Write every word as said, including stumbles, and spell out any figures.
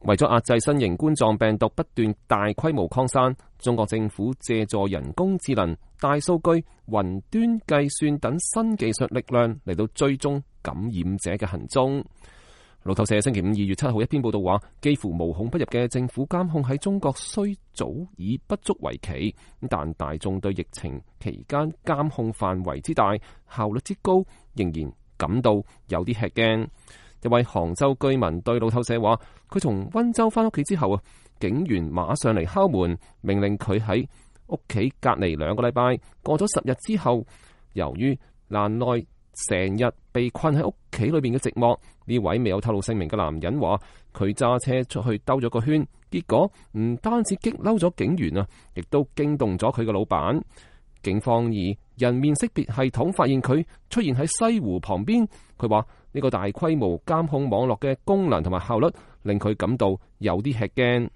為咗壓制新型冠狀病毒不斷大規模擴散，中國政府借助人工智能、大數據、雲端計算等新技術力量嚟到追蹤感染者嘅行蹤。路透社星期五二月七號一篇報道話，幾乎無孔不入嘅政府監控喺中國雖早已不足為奇，但大眾對疫情期間監控範圍之大、效率之高，仍然感到有啲吃驚。一位杭州居民對路透社話，佢從溫州翻屋企之後啊，警員馬上嚟敲門，命令佢喺屋企隔離兩個禮拜。過咗十日之後，由於難耐成日被困喺屋企裏邊嘅寂寞，呢位未有透露姓名嘅男人話，佢揸車出去兜咗個圈，結果唔單止激嬲咗警員啊，亦都驚動咗佢嘅老闆。警方以人面識別系統發現佢出現喺西湖旁邊。佢話呢個大規模監控網絡嘅功能同埋效率令佢感到有啲吃驚。